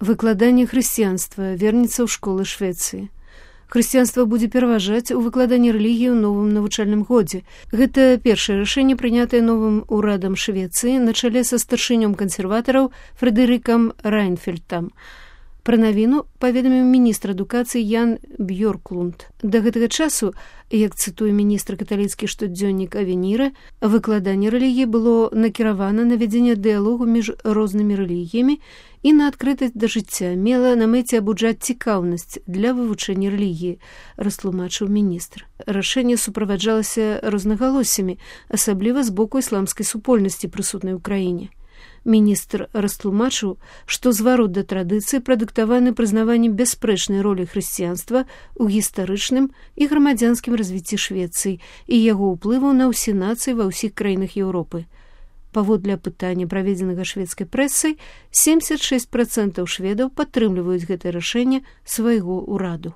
Выкладанне хрысціянства вернецца ў школы Швецыі. Хрысціянства будзе пераважаць у выкладанні рэлігіі ў новым навучальным годзе. Гэта першае рашэнне, прынятае новым урадам Швецыі на чале са старшынём кансерватараў Фрэдэрыкам Райнфельдтам. Пра навіну паведаміў міністр адукацыі Ян Бьёрклунд. Да гэтага часу, як цытуе міністр каталіцкі штодзённік Авеніра, выкладанне рэлігіі было накіравана на вядзенне дыялогу між рознымі рэлігіямі і на адкрытасць да жыцця, мела на мэце абуджаць цікаўнасць для вывучэння рэлігіі, растлумачыў міністр. Рашэнне суправаджалася рознагалоссямі, асабліва з боку ісламскай супольнасці, прысутнай у краіне. Міністр растлумачыў, што зварот да традыцыі прадыктаваны прызнаваннем бясспрэчнай ролі хрысціянства ў гістарычным і грамадзянскім развіцці Швецыі і яго ўплыву на ўсе нацыі ва ўсіх краінах Еўропы. Паводле апытання, праведзенага шведскай прэсай, 76% шведаў падтрымліваюць гэтае рашэнне свайго ўраду.